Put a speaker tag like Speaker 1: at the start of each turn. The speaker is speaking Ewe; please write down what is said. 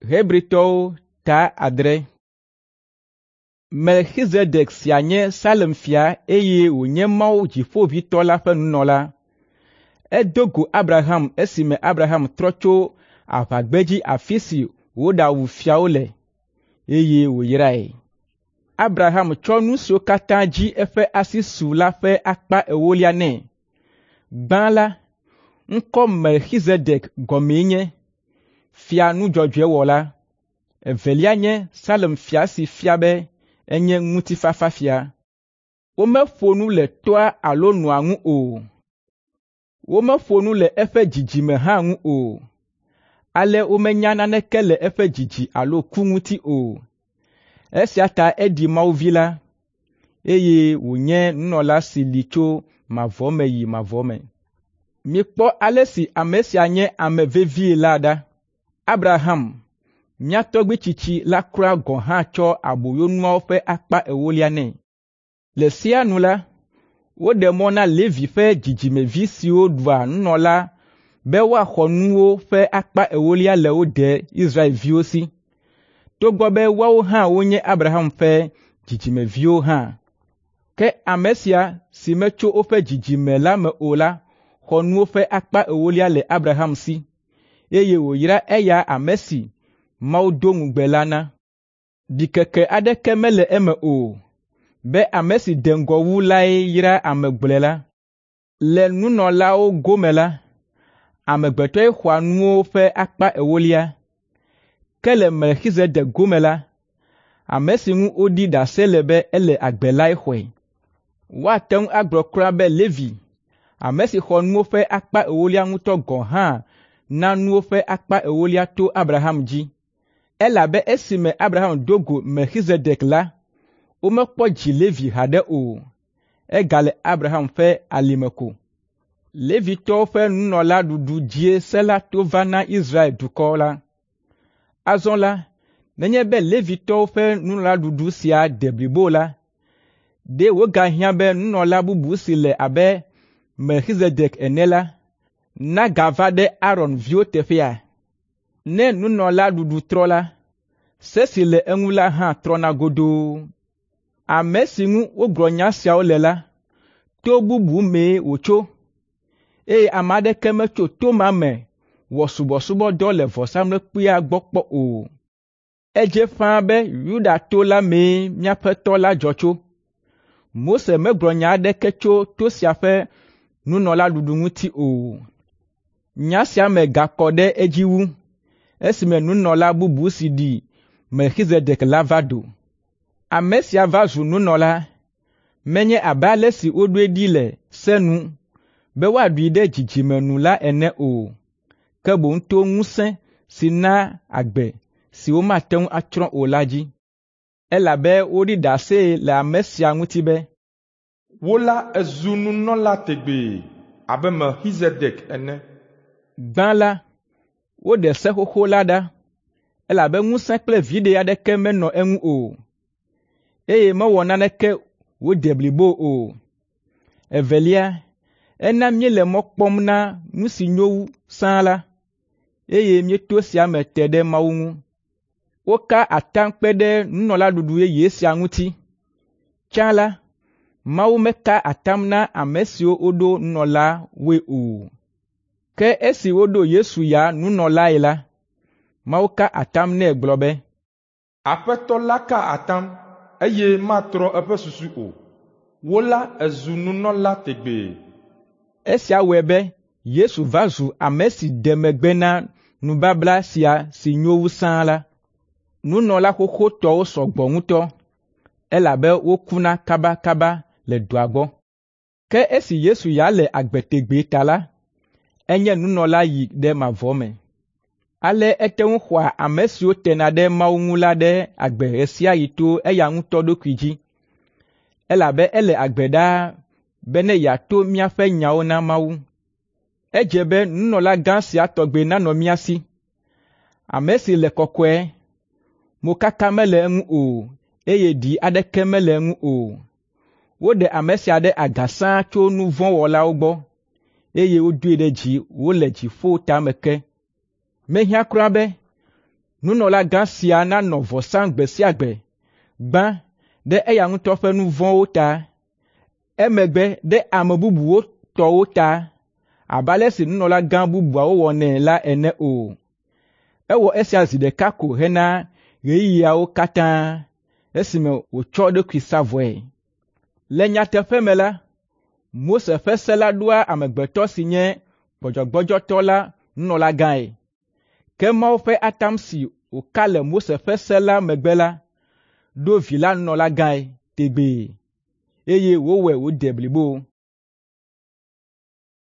Speaker 1: Hebritɔwo ta adre. Melkizedek sia nye Salem fia eye wònye Mawu Dziƒoʋĩtɔ la ƒe nunɔla. Edo go Abraham esime Abraham trɔ tso aʋagbedzi afi si wòɖawu fiawo le, eye wòyrae. Abraham tsɔ nu siwo katã dzi eƒe asi su la ƒe akpa ewolia nɛ. Gbã la, ŋkɔ Melkizedek gɔmee nye “Fia nu dzɔdzɔe wɔla”. Evelia nye Salem fia si fia be enye ŋutifafafia. Womeƒo nu le toa alo nɔa ŋu o. Womeƒo nu le eƒe dzidzime hã ŋu o. Ale womenya naneke le eƒe dzidzi alo ku ŋuti o. Esia ta eɖi Mawu Vi la, eye wònye nunɔla si li tso mavɔ me yi mavɔ me. Mikpɔ ale si ame sia nye ame vevie la ɖa. Abraham, mía tɔgbui tsitsi la kura gɔ̃ hã tsɔ aboyonuawo ƒe akpa ewolia nɛ. Le sea nu la, woɖe mɔ na Levi ƒe dzidzimevi siwo ɖua nunɔla be woaxɔ nuwo ƒe akpa ewolia le wo de Israelviwo si, togbɔ be woawo hã wonye Abraham ƒe dzidzimeviwo hã. Ke ame sia si metso woƒe dzidzime la me o la xɔ nuwo ƒe akpa ewolia le Abraham si, eye wòyra eya ame si Mawu do ŋugbe la na. Ɖikeke aɖeke mele eme o be ame si de ŋgɔ wu lae yra ame gblɔe la. Le nunɔlawo gome la, amegbetɔe xɔa nuwo ƒe akpa ewolia, ke le Melkizedek gome la, ame si ŋu woɖi ɖase le be ele agbe lae xɔe. Woate ŋu agblɔ kura be Levi, ame si xɔ nuwo ƒe akpa ewolia ŋutɔ gɔ̃ hã na nuwo ƒe akpa ewolia to Abraham dzi. Elabe esime Abraham do go Melkizedek la, womekpɔ dzi Levi haɖe o. Egale Abraham ƒe alime ko. Levitɔwo ƒe nunɔlaɖuɖu dzie se la to va na Israel dukɔ la. Azɔ la, nenye be Levitɔwo ƒe nunɔlaɖuɖu sia de blibo la, ɖe wògahiã be nunɔla bubu si le abe Melkizedek ene la, nagava ɖe Aron viwo teƒea? Ne nunɔlaɖuɖu trɔ la, se si le eŋu la hã trɔna godoo. Ame si ŋu wogblɔ nya siawo le la, to bubu mee wòtso, eye ame aɖeke metso to ma me wɔ subɔsubɔdɔ le vɔsamlekpuia gbɔ kpɔ o. Edze ƒãa be Yuda to la mee míaƒe Tɔ la dzɔ tso. Mose megblɔ nya aɖeke tso to sia ƒe nunɔlaɖuɖu ŋuti o. Nya sia me gakɔ ɖe edzi wu esime nunɔla bubu si ɖi Melkizedek la va do. Ame sia va zu nunɔla, menye abe ale si woɖoe ɖi le se nu be woaɖui ɖe dzidzime nu la ene o, ke boŋ to ŋusẽ si naa agbe si womate ŋu atsrɔ̃ o la dzi. Elabe woɖi ɖase le ame sia ŋuti be,
Speaker 2: “Wò la èzu nunɔla tegbee abe Melkizedek ene.”
Speaker 1: Gbã la, woɖe se xoxo la ɖa, elabe ŋusẽ kple viɖe aɖeke menɔ eŋu o, eye mewɔ naneke wòde blibo o. Evelia, ena míele mɔ kpɔm na nu si nyo wu sãa la, eye míeto esia me te ɖe Mawu ŋu. Woka atam kpe ɖe nunɔlaɖuɖu yeye sia ŋuti. Tsã la, Mawu meka atam na ame siwo woɖo nunɔlawoe o. Ke esi woɖo Yesu ya nunɔlae la, Mawu ka atam nɛ gblɔ be,
Speaker 2: “Aƒetɔ la ka atam, eye matrɔ eƒe susu o. Wò la èzu nunɔla tegbee.”
Speaker 1: Esia wɔe be Yesu va zu ame si de megbe na nubabla sia si nyo wu sãa la. Nunɔla xoxotɔwo sɔ gbɔ ŋutɔ, elabe wokuna kabakaba le dɔa gbɔ. Ke esi Yesu ya le agbe tegbee ta la, enye nunɔla yi ɖe mavɔ me. Ale ete ŋu xɔa ame siwo tena ɖe Mawu ŋu la ɖe agbe ɣe sia ɣi to eya ŋutɔ ɖokui dzi, elabe ele agbe ɖaa bene yeato míaƒe nyawo na Mawu. Edze be nunɔlagã sia tɔgbi nanɔ mía si, ame si le kɔkɔe, mokaka mele eŋu o, eye ɖi aɖeke mele eŋu o. Woɖe ame sia ɖe aga sãa tso nu vɔ̃ wɔlawo gbɔ, eye wodoe ɖe dzi wòle dziƒo tame ke. Mehiã kura be Nunɔlagã sia nanɔ vɔ sam gbe sia gbe, gbã ɖe eya ŋutɔ ƒe nu vɔ̃wo ta, emegbe ɖe ame bubuwo tɔwo ta abe ale si nunɔlagã bubuawo wɔnɛ la ene o. Ewɔ esia zi ɖeka ko hena ɣeyiɣiawo katã esime wòtsɔ eɖokui sa vɔe. Le nyateƒe me la, Mose ƒe se la ɖoa amegbetɔ si nye gbɔdzɔgbɔdzɔtɔ la nunɔlagãe. Ke Mawu ƒe atam si wòka le Mose ƒe se la megbe la, ɖo Vi la nunɔlagãe tegbee, eye wòwɔe wòde blibo.